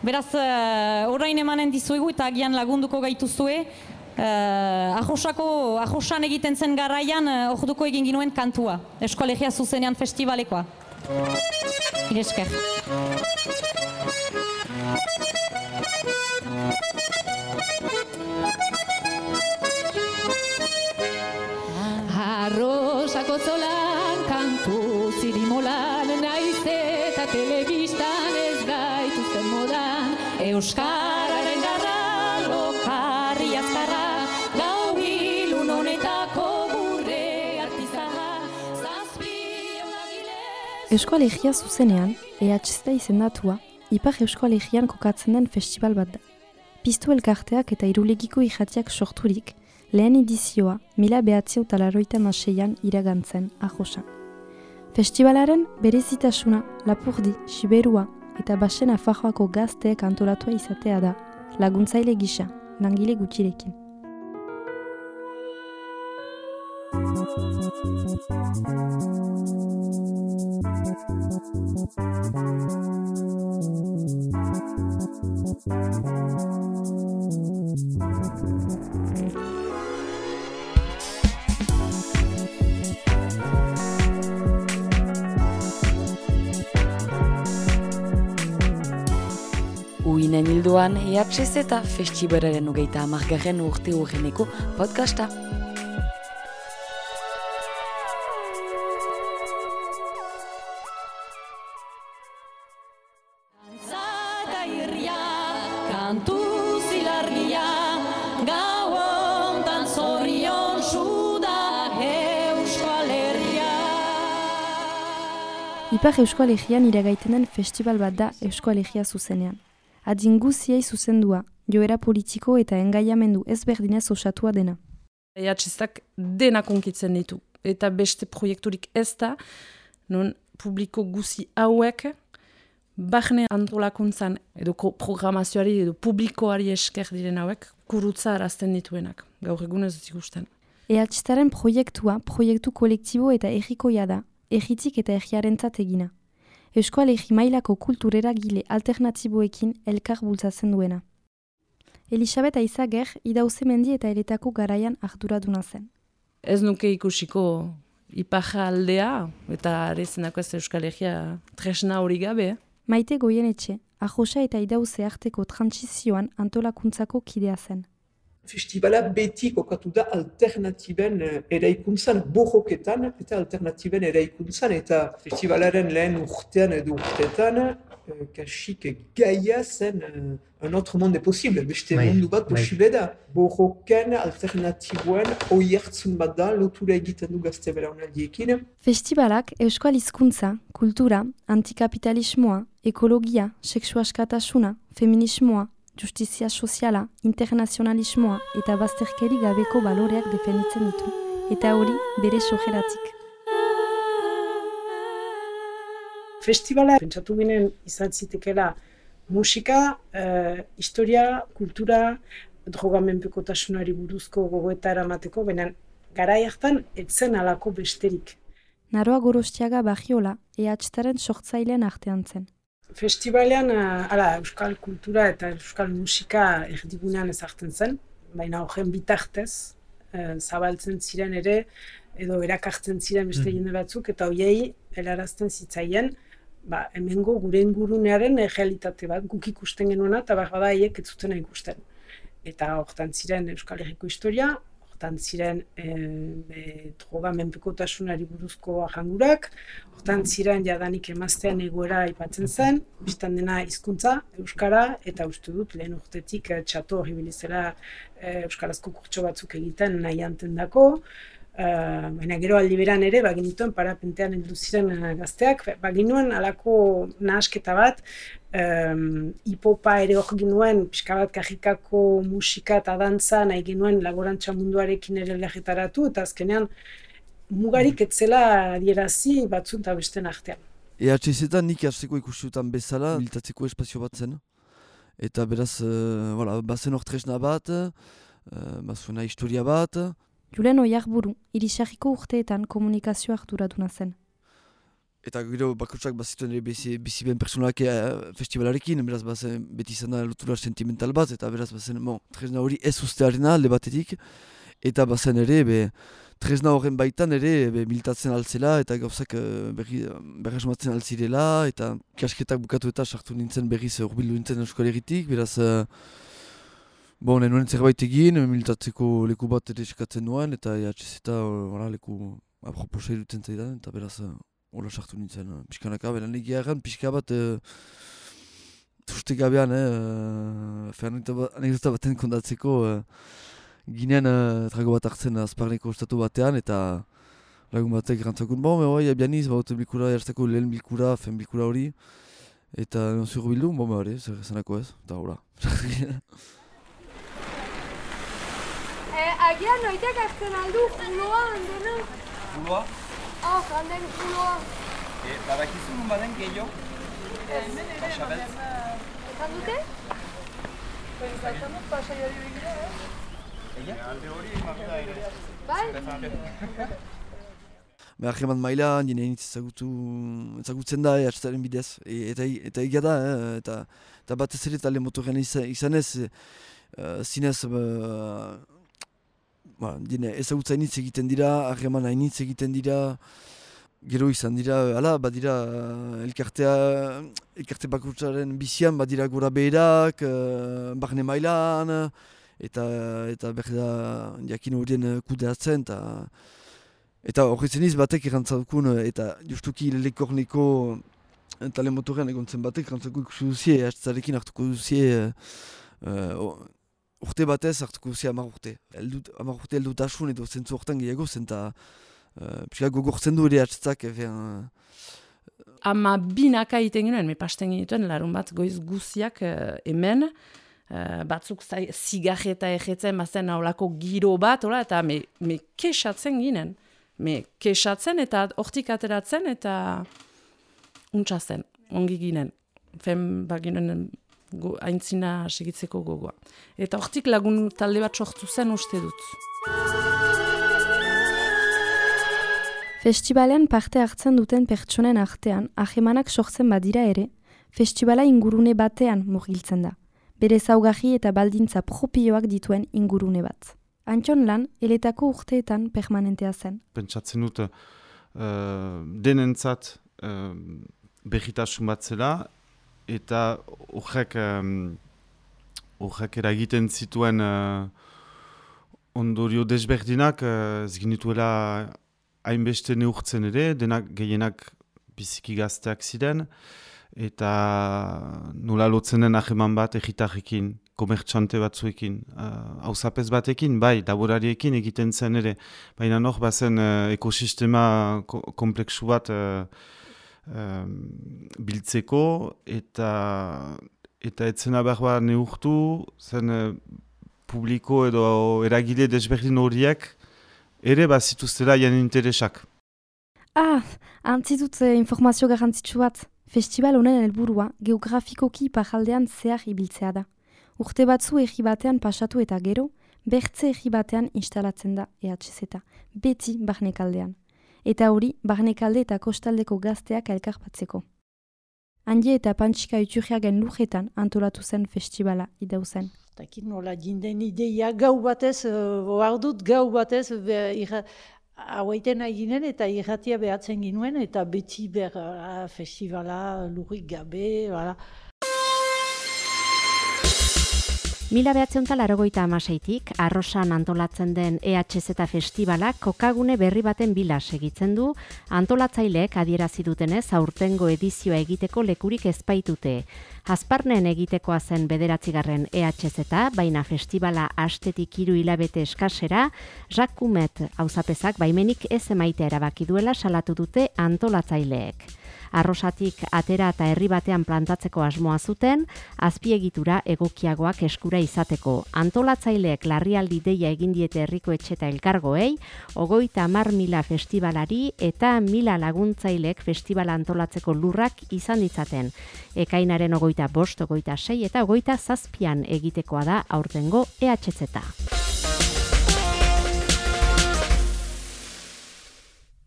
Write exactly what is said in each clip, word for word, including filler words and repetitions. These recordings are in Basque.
Beraz, uh, orain emanen dizuegu eta agian lagunduko gaituzue. Uh, Ajosako, Ajosan egiten zen garaian uh, orduko egin ginuen kantua. Eskolegia zuzenean festivalekoa. Iresker. Arrosako zolan kantu zirimolan naiz eta telebistan ez gaituzten modan Euskararen garra lokarri azkarra gau ilun honetako gure artizarra zazpion agilez. Euskalegia zuzenean, E H Z izendatua, Ipar Euskalegian kokatzen den festival bat da. Piztu elkarteak eta irulegiko irratiak sorturik, lehen edizioa mila behatzio talaroita maseian iragantzen Ajosan. Festivalaren berezitasuna Lapurdi, Siberua eta Basen Nafarroako gazteek antolatua izatea da, laguntzaile gisa, langile gutxirekin. Uinen hildoan E H Z eta festibalaren hogeita hamargarren urte urreneko podcasta. Kantu zilargia, gau hontan zorion suda Euskal Herria. Ipar Euskalegian iragaiten den festival bat da Euskalegia zuzenean. Adin guziei zuzendua, joera politiko eta engaiamendu ezberdinez osatua dena. E H Z-ak dena konkitzen ditu, eta beste proiekturik ez da, non publiko guzi hauek, barne antolakuntzan edo programazioari edo publikoari esker diren hauek, kurutza arazten dituenak, gaur egun ez dut ikusten. E H Z-aren proiektua, proiektu kolektibo eta errikoia da, erritik eta erriarentzat egina. Euskal-Herri mailako kultureragile alternatiboekin elkar bultzatzen duena. Elisabet Aizager, Idauzemendi eta Eretako garaian arduraduna zen. Ez nuke ikusiko iparra aldea, eta arezenako ez Euskal-Herria tresna hori gabe. Maite Goienetxe, Ajosa eta Idauze arteko trantsizioan antolakuntzako kidea zen. Festivala beti kokatu da alternatiben eraikuntzan, bojoketan eta alternatiben eraikuntzan, eta festivalaren lehen urtean edo urteetan, kasik gaia zen un autre monde posible, beste mundu bat posible da. Bojoken alternatiboen oiertzun bat da, lotura egiten du gazte belaunaldiekin. Festivalak euskal hizkuntza, kultura, antikapitalismoa, ekologia, sexu askatasuna, feminismoa, justizia soziala, internazionalismoa eta bazterkeri gabeko baloreak defenditzen ditu, eta hori bere sojeratik. Festivala, pentsatu ginen izan zitekela musika, eh, historia, kultura, drogamenpekotasunari buruzko gogoeta eramateko, baina garai hartan etzen alako besterik. Naroa Gorostiaga Bagiola, E H Z-aren sortzailean artean zen. Festivalean, ala, euskal kultura eta euskal musika erdigunean ezartzen zen, baina horren bitartez, e, zabaltzen ziren ere, edo erakartzen ziren beste jende batzuk, eta hoiei helarazten zitzaien, ba, hemengo gure ingurunearen realitate bat, guk ikusten genuena, eta bada haiek ez zutena ikusten. Eta hortan ziren Euskal Herriko historia, hortan ziren e, droga menpekotasunari buruzko ahangurak, hortan ziren jadanik emaztean egoera aipatzen zen, biztan dena hizkuntza, euskara, eta uste dut lehen urtetik e, txato hori bilizela e, euskarazko kurtso batzuk egiten nahi antendako, Uh, baina gero aldi beran ere, baginituen parapentean heldu ziren uh, gazteak, baginuen alako nahasketa bat, um, hipopa ere hor ginuen, pixka bat kajikako musika eta dantza nahi ginuen laborantza munduarekin ere lehetaratu, eta azkenean mugarik etzela adierazi batzun eta besten artean. E H Z-etan nik hasteko ikusiutan bezala, militatzeko espazio bat zen. Eta beraz, uh, voilà, bazen hor tresna bat, uh, bazuena historia bat. Julen Oiarburu, Irisarriko urteetan komunikazio arduraduna zen. eta gero bakotsak bazituen ere bizi, bizi ben personalak e, festivalarekin, beraz bazen beti izan da lotura sentimental bat, eta beraz bazen, bon, tresna hori ez ustearena alde batetik, eta bazen ere, be, tresna horren baitan ere be, militatzen altzela, eta gauzak berri, berresmatzen altzirela, eta kasketak bukatu eta sartu nintzen berriz urbildu nintzen Euskal Herritik, beraz, uh, bon, nenuen zerbait egin, militatzeko leku bat ere eskatzen nuen, eta E H Z eta uh, leku aproposa irutzen zaidan, eta beraz, uh, hola sartu nintzen, uh, pixkanaka, beran egia erran, pixka bat, uh, suste gabean, eh, uh, anekdota baten kondatzeko, uh, ginen uh, trago bat hartzen azparneko estatu batean, eta lagun batek rantzakun, bon, me hoi, abianiz, baute bilkura, jartzeko lehen bilkura, fen bilkura hori, eta non zuru bildu, bon, me hori, zer zenako ez, eta hola. eh, agian noitek azten aldu, juloa, handena? Juloa? Ah, handen juloa. E, badakizu nun baden gehiago? Ez, Pasabeltz? ekan dute? Pentsatzen dut pasaiari begira, eh? Ella? Alde hori emakta ere. Bai? Behar eman maila, nire nintz ezagutu, ezagutzen da E H Z-aren bidez, e, eta, eta egia da, eh, eta, eta batez ere talde motorrean izan, izanez, uh, zinez, uh, ba, ezagutza hainitz egiten dira, harreman hainitz egiten dira, gero izan dira, ala, badira, elkartea, elkarte bakutsaren bizian, badira gora beherak, uh, barne mailan, eta, eta berda jakin horien kudeatzen, eta Eta horretzen iz batek erantzakun, eta justuki lekorneko tale motorrean egon zen batek erantzakun ikusi duzie, hastarekin hartuko duzie, uh, urte batez hartuko duzie hamar urte. Eldut, hamar urte eldutasun edo zentzu horretan gehiago zen, eta uh, pixka gogortzen du ere hastzak. Uh, Ama binaka egiten ginen, me pasten genituen larun bat goiz guziak uh, hemen, uh, batzuk zai, zigarreta egetzen bazen aulako giro bat, ola, eta me, me kesatzen ginen. Me kesatzen eta hortik ateratzen eta untsa zen, ongi ginen. Fen baginen aintzina segitzeko gogoa. Eta hortik lagun talde bat sortu zen uste dut. Festivalen parte hartzen duten pertsonen artean, ahemanak sortzen badira ere, festivala ingurune batean murgiltzen da. Bere ezaugarri eta baldintza propioak dituen ingurune bat. Antxon lan, eletako urteetan permanentea zen. Pentsatzen dut, uh, denentzat uh, berritasun bat zela, eta horrek um, eragiten zituen uh, ondorio desberdinak, uh, ez ginituela hainbeste neurtzen ere, denak gehienak biziki gazteak ziren, eta nola lotzen den aheman bat egitarrekin, komertxante batzuekin, hauzapez uh, batekin, bai, laborariekin egiten zen ere. Baina nor bazen uh, ekosistema ko kompleksu bat uh, um, biltzeko, eta eta etzena behar bat neurtu, zen uh, publiko edo eragile desberdin horiek, ere bazituztela jan interesak. Ah, antzitut eh, informazio garrantzitsu bat. Festival honen helburua geografikoki iparraldean zehar ibiltzea da. Urte batzu egi batean pasatu eta gero, bertze egi batean instalatzen da E H Z, beti barnekaldean. Eta hori, barnekalde eta kostaldeko gazteak elkarpatzeko. Handi eta Pantxika Iturriagen lujetan antolatu zen festivala idauzen. Takin nola jinden ideia gau batez, behar dut gau batez, hauaiten nahi ginen eta irratia behatzen ginuen, eta beti ber uh, festivala lurrik gabe, bala. Mila behatzen talarogoita amaseitik, Arrosan antolatzen den E H Z festivalak kokagune berri baten bila segitzen du, antolatzaileek adierazi dutenez aurtengo edizioa egiteko lekurik ezpaitute. Azparnen egitekoa zen bederatzigarren E H Z, baina festivala astetik hiru hilabete eskasera, Jacques Coumet auzapezak baimenik ez emaitea erabaki duela salatu dute antolatzaileek. Arrosatik atera eta herri batean plantatzeko asmoa zuten, azpiegitura egokiagoak eskura izateko. Antolatzaileek larrialdi deia egin diete herriko etxe eta elkargoei, hogeita hamar mila festivalari eta mila laguntzaileek festivala antolatzeko lurrak izan ditzaten. Ekainaren hogeita bost, hogeita sei eta hogeita zazpian egitekoa da aurtengo E H Z.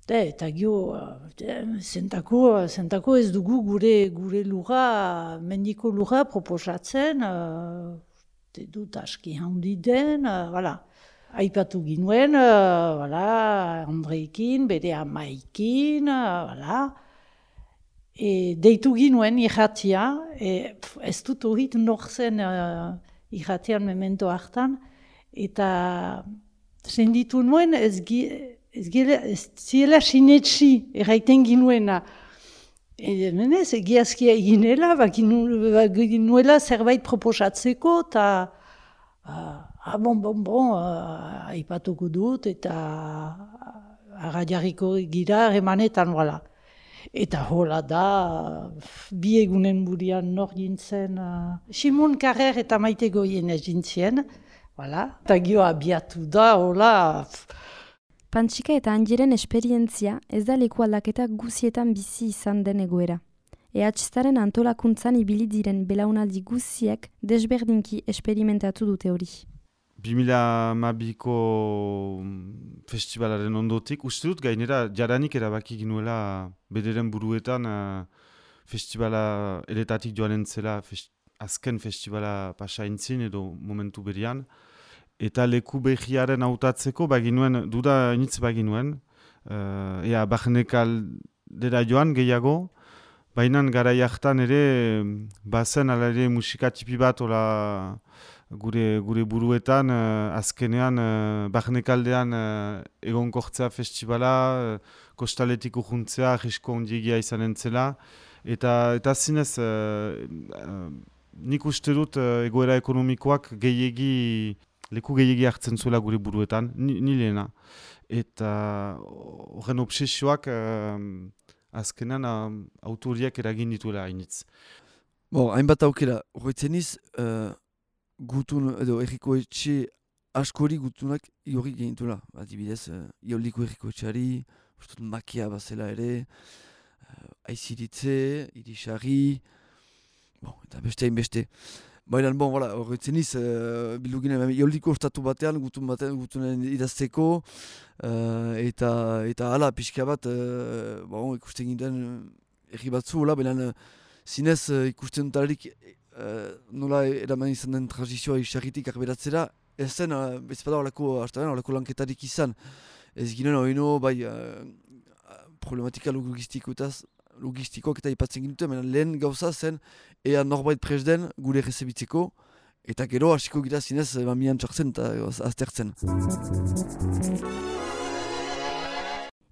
De, eta gio, zentako, zentako ez dugu gure gure lurra, mendiko lurra proposatzen, uh, dut aski handi den, uh, voilà. Aipatu ginuen, uh, voilà, Andreikin, bere amaikin, uh, voilà. E, deitu ginuen irratia, e, pf, ez dut horit norzen uh, irratian memento hartan, eta senditu nuen ez gi, Ez, gile, ez ziela sinetsi erraiten ginuena. E, menez, egiazkia eginela, baginuela zerbait proposatzeko, eta uh, ah, bon, bon, bon, uh, aipatuko dut, eta arra jarriko gira remanetan, voilà. Eta hola da, bi egunen burian nor gintzen, uh, Simon Carrer eta Maite Goien ez gintzien, voilà. Eta gio abiatu da, hola, Pantxika eta Anjeren esperientzia ez da leku aldaketa guzietan bizi izan den egoera. E H Z-aren antolakuntzan ibili diren belaunaldi guziek desberdinki esperimentatu dute hori. bi mila hamabiko festivalaren ondotik, uste dut gainera jaranik erabaki ginuela bederen buruetan uh, festivala eretatik joanen zela fest, azken festivala pasaintzin edo momentu berian. Eta leku behiaren hautatzeko baginuen, duda initz baginuen, uh, ea Barnekaldera joan gehiago, baina garai hartan ere bazen ala ere musika tipi bat ola gure, gure buruetan, uh, azkenean uh, Barnekaldean uh, egonkortzea festivala, uh, kostaletik urjuntzea, arrisko ondiegia izanen zela, eta, eta zinez, uh, uh, nik uste dut uh, egoera ekonomikoak gehiegi leku gehiagi hartzen zuela gure buruetan, ni, ni lehena. Eta horren obsesioak uh, azkenan uh, autoriak eragin dituela hainitz. Bo, hainbat aukera, horretzen iz, uh, gutun, edo erriko etxe askori gutunak iorri genitula. Adibidez, uh, ioliko erriko etxeari, ustut makia bazela ere, uh, aiziritze, irisari, bon, eta beste hain beste. Baina, bon, voilà, horretzen iz, uh, bildu ginen, ioliko ostatu batean, gutun batean, gutunen idazteko, uh, eta, eta hala, pixka bat, uh, bon, ikusten ginen erri batzu, hola, baina zinez uh, ikusten dutalarik uh, nola eraman izan den transizioa isarritik arberatzera, ez zen, uh, ez bada horreko, horreko lanketarik izan. Ez ginen horino, bai, uh, problematika logistikoetaz, logistikoak eta ipatzen ginuten, baina lehen gauza zen ea norbait prest den gure rezebitzeko, eta gero hasiko gira zinez mamian txartzen eta aztertzen.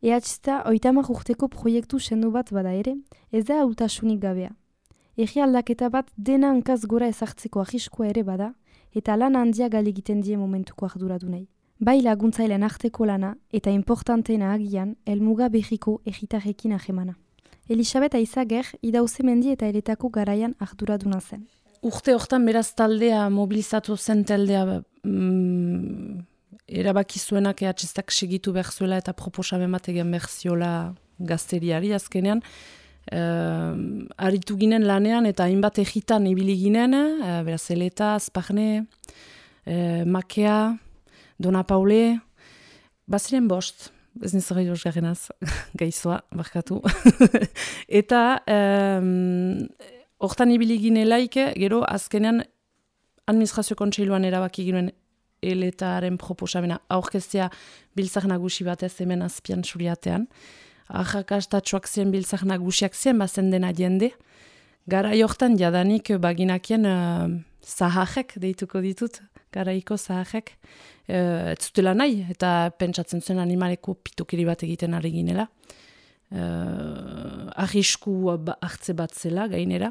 E H Z oitamak urteko proiektu sendu bat bada ere, ez da hautasunik gabea. Egi aldaketa bat dena hankaz gora ezartzeko ahiskoa ere bada, eta lan handia galegiten die momentuko arduradunei. Bai laguntzailean arteko lana eta importanteena agian helmuga berriko egitarrekin ahemana. Elisabet Aizager, idauze mendi eta eretako garaian arduraduna zen. Urte hortan beraz taldea mobilizatu zen taldea mm, erabaki zuenak E H Z-ak segitu behar zuela eta proposamen bat egin behar ziola gazteriari azkenean. Uh, aritu ginen lanean eta hainbat egitan ibili ginen, uh, beraz Eleta, Azparne, uh, Makea, Dona Paule, baziren bost. Ez nizera joz garenaz, gaizoa, barkatu. Eta hortan um, ibili ginelaik, gero azkenean administrazio kontseiluan erabaki ginen Eletaren proposamena aurkeztea biltzak nagusi batez hemen azpian suriatean. Arrakastatxoak zien biltzak nagusiak zien bazen dena jende. Garai hortan jadanik baginakien uh, zahajek deituko ditut, garaiko zahajek. Uh, ez zutela nahi, eta pentsatzen zuen animaleko pitokeri bat egiten ari ginela. Uh, arrisku hartze bat zela gainera.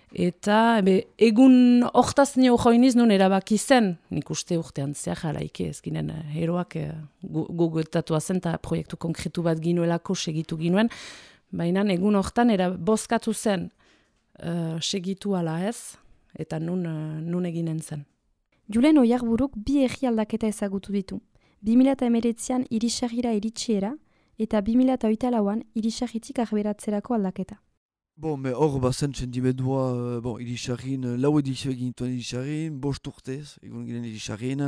Eta be, egun hortaz nio joiniz nun erabaki zen, nik uste urtean zehar jalaike ez ginen heroak uh, gogoetatua zen eta proiektu konkretu bat ginuelako segitu ginuen. Baina egun hortan era bozkatu zen uh, segitu ala ez, eta nun, uh, nun eginen zen. Julen Oiarburuk bi egi aldaketa ezagutu ditu. bi mila hemeretzian irisarira iritsiera eta bi mila hogeita lauan irisarritik arberatzerako aldaketa. Bon, me hor bazen sentimendua, bon, irisarrin, lau edizio egin dituen irisarrin, bost urtez, egun ginen irisarrin.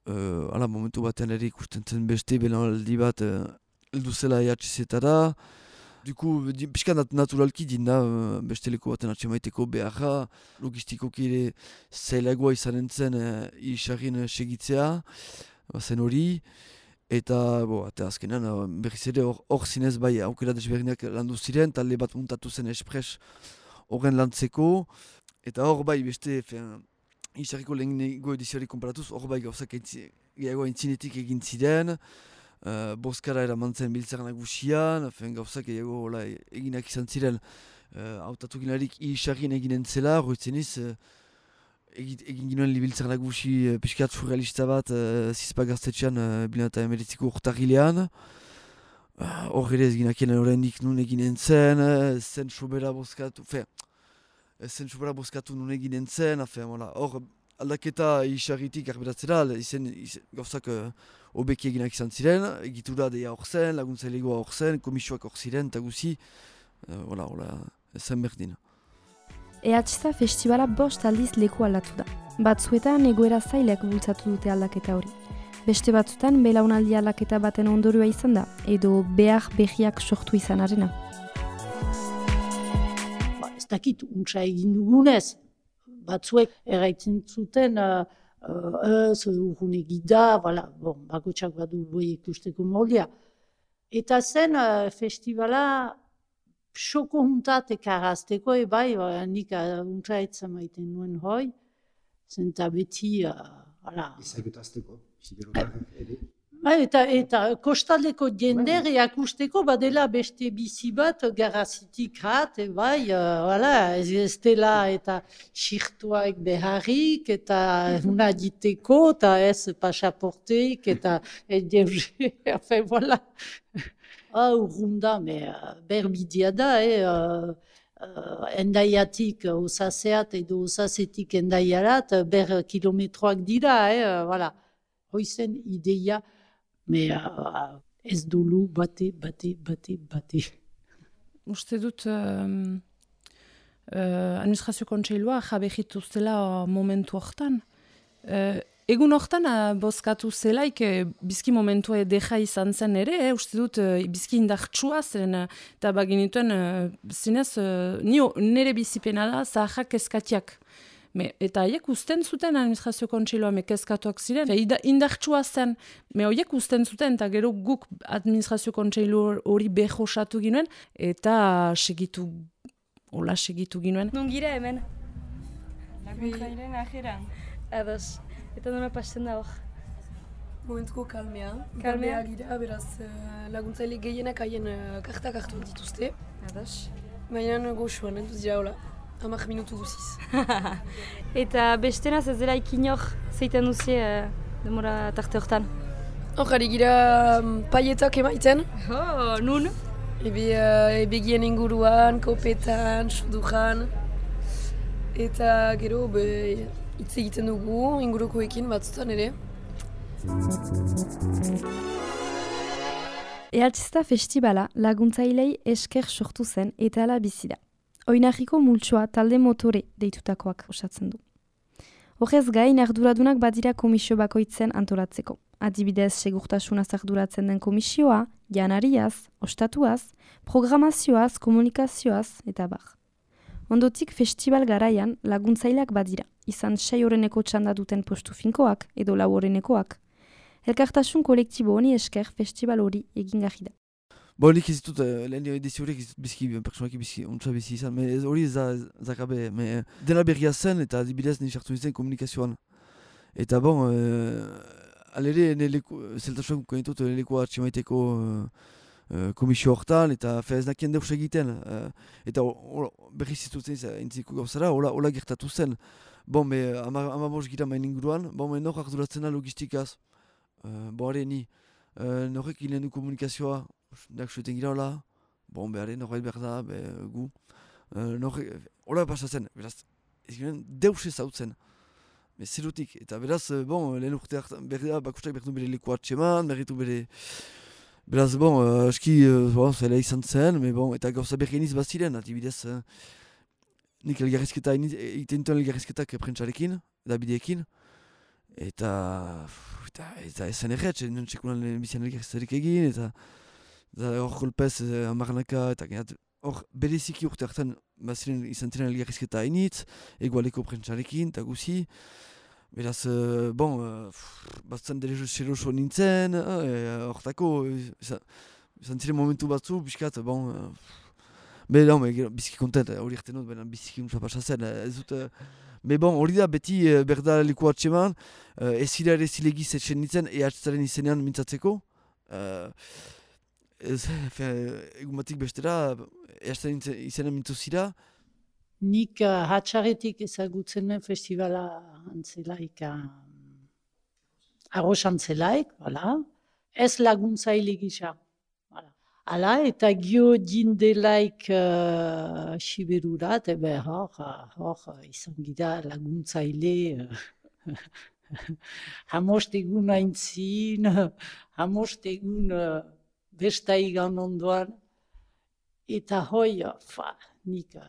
Uh, ala, momentu batean ere ikusten zen beste belanaldi bat uh, heldu zela E H Z-etara. Duku, pixka nat naturalki dinda, uh, beste leku baten atxemaiteko beharra, logistikoki ere zailagoa izanen zen uh, isarrin segitzea, zen hori, eta bo, eta azkenean uh, berriz ere hor zinez bai aukera desberdinak landu ziren, talde bat muntatu zen espres horren lantzeko, eta hor bai beste isarriko lehenengo edizioari konparatuz, hor bai gauzak gehiago aintzinetik egin ziren, Uh, Boskara eraman zen biltzar nagusian, gauzak gehiago eginak izan ziren hautatu uh, ginarik isarrin eginen zela, roitzeniz uh, egin ginoen biltzar nagusi uh, piskat surrealista bat uh, zizpa gaztetxean uh, bilan eta emeritziko urtarrilean. Hor uh, ere ez ginakien horrendik nun eginen zen, uh, zen sobera boskatu, fe, zen sobera boskatu nun eginen zen, hor aldaketa isarritik arberatzera, izen, izen gauzak uh, obeki eginak izan ziren, egitura deia hor zen, laguntzailegoa hor zen, komisioak hor ziren, eta guzi, hola, uh, hola, zen berdin. E H Z festivala bost aldiz leku aldatu da. Batzuetan egoera zailek bultzatu dute aldaketa hori. Beste batzutan belaunaldi aldaketa baten ondorioa izan da, edo behar behiak sortu izan arena. Ba, ez dakit, untsa egin dugunez, batzuek erraitzen zuten, uh, ez, urrun egida, voilà, bon, bakotxak badu boi ikusteko moldia. Eta zen uh, festivala xoko juntat ekarazteko, ebai, nik uh, untsa etzen maiten nuen hoi, zenta beti, uh, voilà. Ezagutazteko, siberotak ere. Eta, eta kostaldeko jender eakusteko badela beste bizi bat garazitik rat, bai, uh, voilà, ez, ez dela eta xirtuak beharrik, eta una diteko, eta ez pasaporteik, eta edeuge, enfin, voilà. Ah, urrunda, me uh, berbidia da, eh, uh, uh, endaiatik osaseat edo osasetik endaiarat, ber kilometroak dira, eh, uh, voilà. Hoizen ideia, me uh, ez dulu bate, bate, bate, bate. Uste dut um, uh, administrazio kontseilua jabegitu zela momentu hortan. Uh, egun hortan uh, bozkatu zelaik uh, bizki momentua deja izan zen ere, eh, uste dut uh, bizki indartsua zen, uh, eta baginituen uh, zinez uh, nire bizipena da zahak eskatiak. Me, eta haiek usten zuten administrazio kontseiloa mekezkatuak ziren. Indartsua zen, me horiek usten zuten, eta gero guk administrazio kontseilu hori behosatu ginoen, eta segitu, hola segitu ginoen. Non gira hemen? Laguntzaileen ajeran. Ados, eta nona pasten da hor? Momentuko kalmea. Kalmea? Gira, beraz laguntzaile gehienak haien kartak hartu dituzte. Ados. Baina goxuan, entuz dira hola. Hamak minutu guziz. Eta bestenaz ez dela ikinor zeiten duzie uh, demora tarte hortan? Hor, ari gira um, paietak emaiten. Oh, nun? Ebe, uh, ebegien inguruan, kopetan, sudujan. Eta gero, be, hitz egiten dugu, ingurukoekin batzutan ere. E H Z festivala laguntzailei esker sortu zen eta ala bizi da. Oinarriko multsoa talde motore deitutakoak osatzen du. Horrez gain arduradunak badira komisio bakoitzen antolatzeko. Adibidez, segurtasunaz arduratzen den komisioa, janariaz, ostatuaz, programazioaz, komunikazioaz eta bar. Ondotik festival garaian laguntzaileak badira, izan sei horreneko txanda duten postu finkoak edo lau horrenekoak. Elkartasun kolektibo honi esker festival hori egingarri da. Bo, nik ez ditut, lehen edizio horiek ez bizki, pertsonaki bizki, ontsa bizi izan, hori ez da zakabe, dena berria zen eta adibidez nire sartu nintzen komunikazioan. Eta bon, alere, zeltasuak konitut lekoa atximaiteko komisio hortan, eta ez nakien deus egiten, eta berri zitutzen entziko gauzara, hola gertatu zen. Bon, ama bost gira main inguruan, bon, nor arduratzen da logistikaz, bo, hare ni, norek ginen du komunikazioa, dak sueten gira hola, bon, behar, norbait behar da, be, gu. Uh, norre, hola pasatzen, beraz, ez ginen deus ez hautzen. Zerutik, eta beraz, bon, lehen urte hartan, berri da, bakustak berritu bere leku atxeman, berritu bere... Beraz, bon, uh, aski, uh, bon, zela izan zen, me bon, eta gauza berri eniz baziren, atibidez, uh, nik elgarrizketa, egiten duen elgarrizketak prentsarekin, Dabideekin, eta... Eta ez zen erretz, non txekunan bizian elgarrizketarik egin, eta... hor kolpez uh, amarnaka, eta gehat, hor bereziki urte hartan, baziren izan ziren elgarrizketa hainitz, egualeko prentsarekin, eta guzi. Beraz, uh, bon, uh, batzen dere seroso nintzen, hortako, uh, izan, izan ziren momentu batzu, biskat, bon, uh, be, no, me, biziki kontent, hori erten dut, benen biziki untsa pasazen, ez dut, uh, be, bon, hori da, beti uh, berda leku atseman, uh, ez zira ere zilegiz etxen nintzen, ehatzaren izenean mintzatzeko, uh, ez, egun batik bestera, ehatzaren izenean mintzu zira. Nik uh, hatxaretik ezagutzen nuen festivala antzelaik, uh, arroz antzelaik, voilà. Ez laguntzaile gisa. Hala, eta gio dindelaik uh, siberurat, ebe hor, hor, izan gira laguntzaile, uh, hamost egun aintzin, hamost egun uh, bestaigan ondoan, eta hoi, fa, nik uh,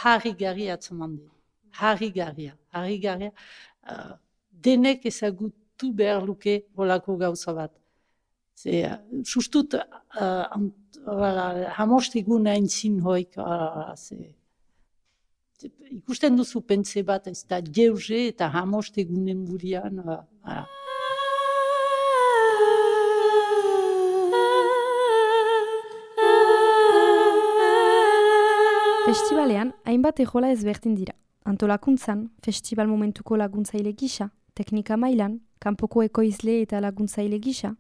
harri-garri atzaman den, harri-garria, harri-garria, uh, denek ezagutu behar luke holako gauza bat. Ze, uh, sustut, uh, uh, hamost egun aintzin hoik, uh, ze, ze, ikusten duzu pentze bat, ez da jeuze eta hamost egunen burian. Uh, uh. Festivalean, hainbat ejola ezberdin dira. Antolakuntzan, festival momentuko laguntzaile gisa, teknika mailan, kanpoko ekoizle eta laguntzaile gisa,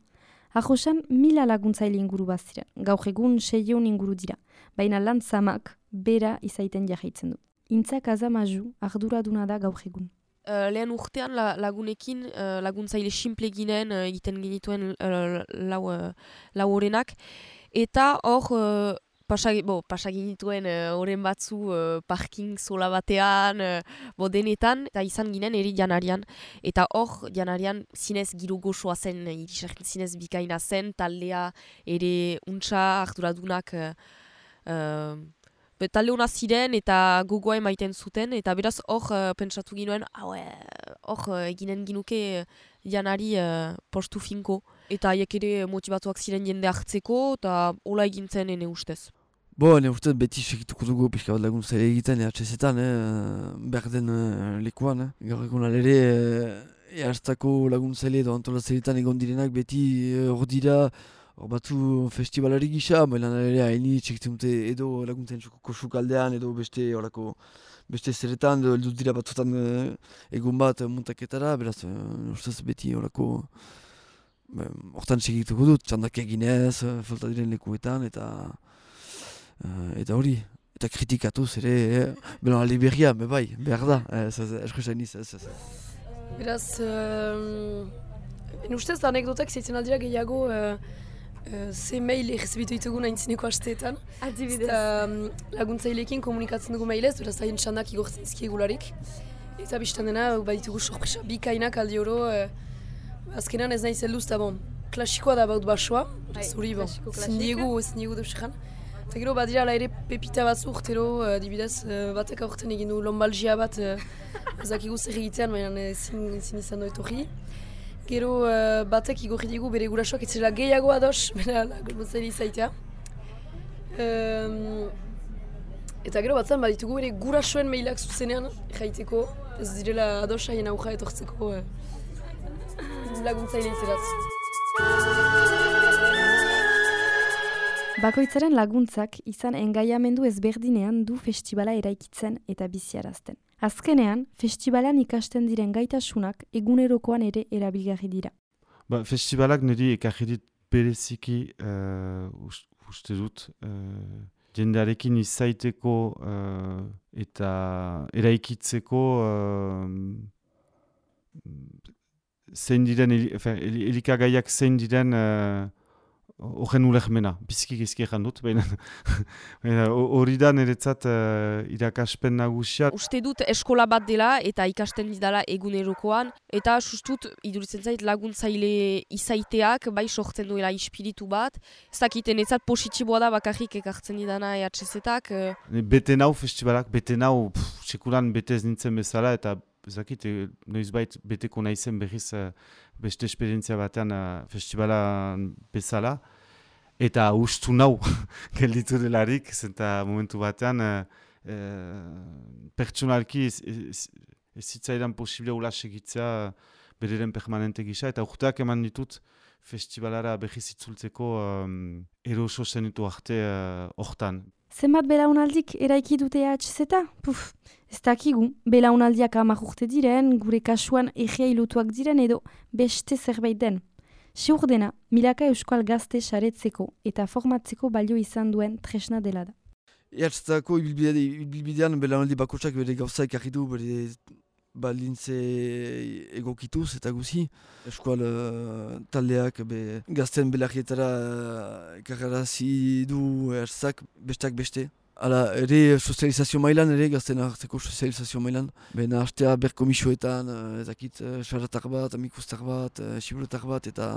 Arrosan mila laguntzaile inguru baziren, gaur egun seieun inguru dira, baina lan zamak bera izaiten jarraitzen du. Intzak azamaju arduraduna da gaur egun. Uh, lehen urtean la, lagunekin, uh, laguntzaile simple ginen uh, egiten genituen uh, lau, uh, lau horenak, eta hor uh, pasaginituen horren uh, batzu uh, parking zola batean, uh, bo denetan, eta izan ginen eri janarian. Eta hor, janarian zinez giro gozoa zen, irisakin zinez bikaina zen, taldea ere untsa arduradunak uh, uh, talde hona ziren eta gogoa emaiten zuten, eta beraz hor uh, pentsatu ginoen, hor uh, eginen ginuke uh, janari uh, postu finko. Eta haiek ere motivatuak ziren jende hartzeko, eta hola egintzen ene ustez. Bo, ene ustez beti segituko dugu pixka bat laguntzaile egiten, E H Z-etan, eh, berden uh, lekuan. Eh. Gaur egun alere, eh, ehartzako laguntzaile edo antolatzailetan egon direnak beti hor uh, dira, hor batzu festivalari gisa, baina ere haini txekitzen dute edo laguntzen kosukaldean edo beste horako beste zeretan, edo eldut dira batzutan uh, egun bat muntaketara, beraz, uh, ustez beti horako hortan segituko dut, txandak eginez, falta diren lekuetan, eta uh, eta hori, eta kritikatuz ere, eh, bela liberia, be bai, behar da, eskuzain iz, ez, ez. Beraz, uh, en ustez da anekdotak zeitzen aldira gehiago uh, uh, ze mail errezibitu ditugun aintzineko hasteetan. Adibidez. Um, laguntzailekin komunikatzen dugu mailez, beraz haien txandak igortzen zkiegularik. Eta biztan dena, baditugu sorpresa bikainak aldi oro, uh, azkenean ez nahi zelduz, eta bon, klasikoa da baut basoa, zuri, bon, zindiegu, zindiegu deusekan. Eta gero badira ala ere pepita batzu urtero, uh, dibidez, uh, batek aurten egin du lombalgia bat, uh, ezakigu zer egitean, baina ezin izan doet hori. Gero uh, batek igorri digu bere gurasoak etzela gehiago ados, bera laguntzaileari izaitea. Um, eta gero batzen baditugu bere gurasoen mailak zuzenean jaiteko, ez direla ados haien aurra etortzeko uh, laguntzaile izeraz. Bakoitzaren laguntzak izan engaiamendu ezberdinean du festivala eraikitzen eta biziarazten. Azkenean, festivalan ikasten diren gaitasunak egunerokoan ere erabilgarri dira. Ba, festivalak niri ekarri dit bereziki uh, uste dut, uh, jendearekin izaiteko uh, eta eraikitzeko uh, zein diren, elikagaiak zein diren uh, horren ulermena, biziki gizki egan dut, baina hori da niretzat uh, irakaspen nagusia. Uste dut eskola bat dela eta ikasten didala egunerokoan, eta sustut iduritzen zait laguntzaile izaiteak, bai sortzen duela ispiritu bat, ez dakiten etzat positiboa da bakarrik ekartzen didana E H Z-ak. Uh... Bete nau festivalak, bete nau, pff, sekulan bete ez nintzen bezala, eta ezakit, noizbait beteko naizen berriz uh, beste esperientzia batean uh, festivala bezala. eta ustu nau gelditu delarik, zenta momentu batean uh, uh, pertsonalki ez, ez, ez zitzaidan posible ula segitzea bereren permanente gisa, eta urteak eman ditut festivalara behiz itzultzeko um, eroso zenitu arte hortan. Uh, Zenbat belaunaldik eraiki dute E H Z? Puf, ez dakigu, belaunaldiak hamar urte diren, gure kasuan egia ilutuak diren edo beste zerbait den. Siur dena, milaka euskal gazte saretzeko eta formatzeko balio izan duen tresna dela da. E H Z-ako ibilbidean belaunaldi bakotsak bere gauza ekarri du, bere balintze egokituz eta guzi. Eskual uh, taldeak be, gazten belarrietara uh, ekarrarazi du E H Z-ak bestak beste. Hala, ere sozializazio mailan, ere gazten hartzeko sozializazio mailan. Bena hastea berkomisioetan, uh, ezakit, uh, xaratak bat, amikustak bat, uh, xiburetak bat eta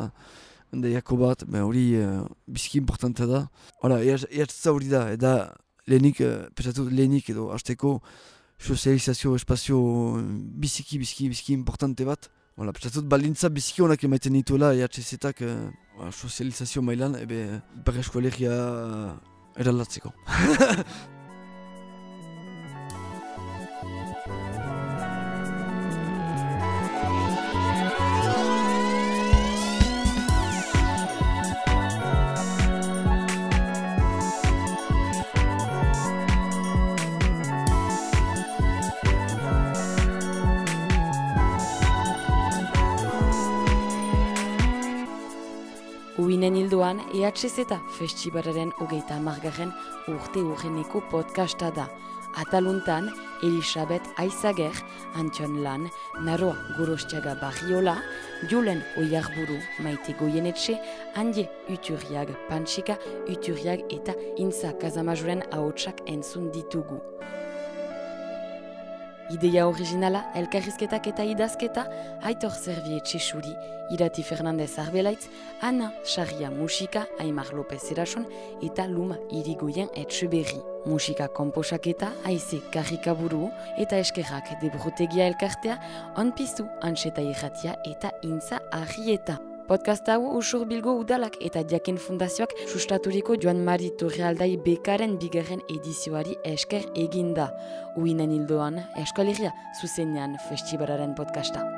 endaiako bat, ben hori uh, biziki importantea da. Hala, E H Z hori da, eta lehenik, uh, pesatu lehenik edo hasteko sozializazio espazio biziki, biziki, biziki importante bat. Hala, pesatut balintza biziki honak emaiten dituela E H Z-ak uh, sozializazio mailan, ebe ipar eskoalegia uh, eraldatzeko. Uinen hildoan E H Z festibalaren hogeita hamargarren urte urreneko podcasta da. Ataluntan Elisabet Aizager, Antion Lan, Naroa Gorostiaga Barriola, Julen Oiarburu, Maite Goyenetxe, Andie Uturiag Pantsika, Uturiag eta Intza Kazamajuren ahotsak entzun ditugu. Ideia originala, elkarrizketak eta idazketa, Aitor Servie Txesuri, Irati Fernandez Arbelaitz, Ana Sarria Musika, Aimar López Erason eta Luma Irigoyen Etxeberri. Musika komposaketa, Aize Karrikaburu eta Eskerrak Debrutegia elkartea, Onpiztu Antxeta Irratia eta Intza Arrieta. Podcast hau Usur Bilgo Udalak eta Jakin Fundazioak sustaturiko Joan Mari Torrealdai Bekaren bigarren edizioari esker eginda. Uinen hildoan, Euskal Herria zuzenean festivalaren podcasta.